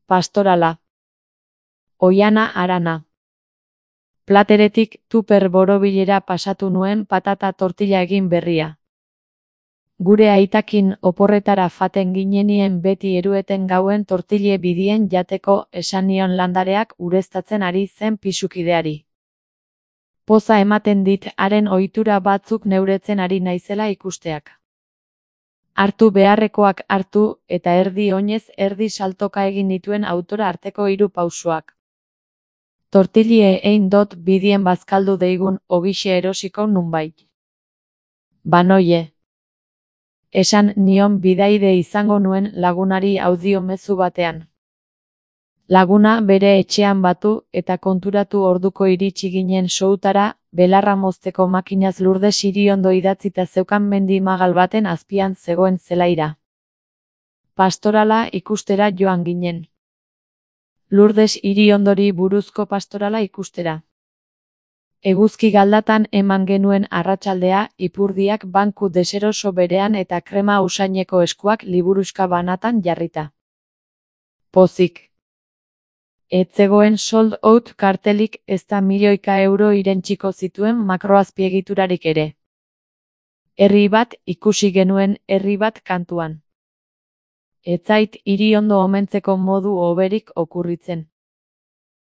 Pastorala. Oiana Arana. Plateretik tuper borobilera pasatu nuen patata tortilla egin berria. Gure aitakin oporretara faten ginenien beti erueten gauen tortille bidien jateko esan nion landareak ureztatzen ari zen pisukideari. Poza ematen dit haren ohitura batzuk neuretzen ari naizela ikusteak. Hartu beharrekoak hartu eta erdi oinez erdi saltoka egin nituen autora arteko 3 pausoak. Tortillie ein dot bidien bazkaldu deigun ogixe erosiko nunbait. Banoie. Esan nion bidaide izango nuen lagunari audio mezu batean. Laguna bere etxean batu eta konturatu orduko iritsi ginen soutara, belarra mozteko makinaz Lurdes Iriondo idatzita zeukan mendi magal baten azpian zegoen zelaira. Pastorala ikustera joan ginen. Lurdes Iriondori buruzko pastorala ikustera. Eguzki galdatan eman genuen arratsaldea, ipurdiak banku deseroso berean eta krema usaineko eskuak liburuska banatan jarrita. Pozik. Ez zegoen sold out kartelik ezta milioika euro irentsiko zituen makroazpiegiturarik ere. Herri bat ikusi genuen, herri bat kantuan. Ez zait Iriondo omentzeko modu hoberik okurritzen.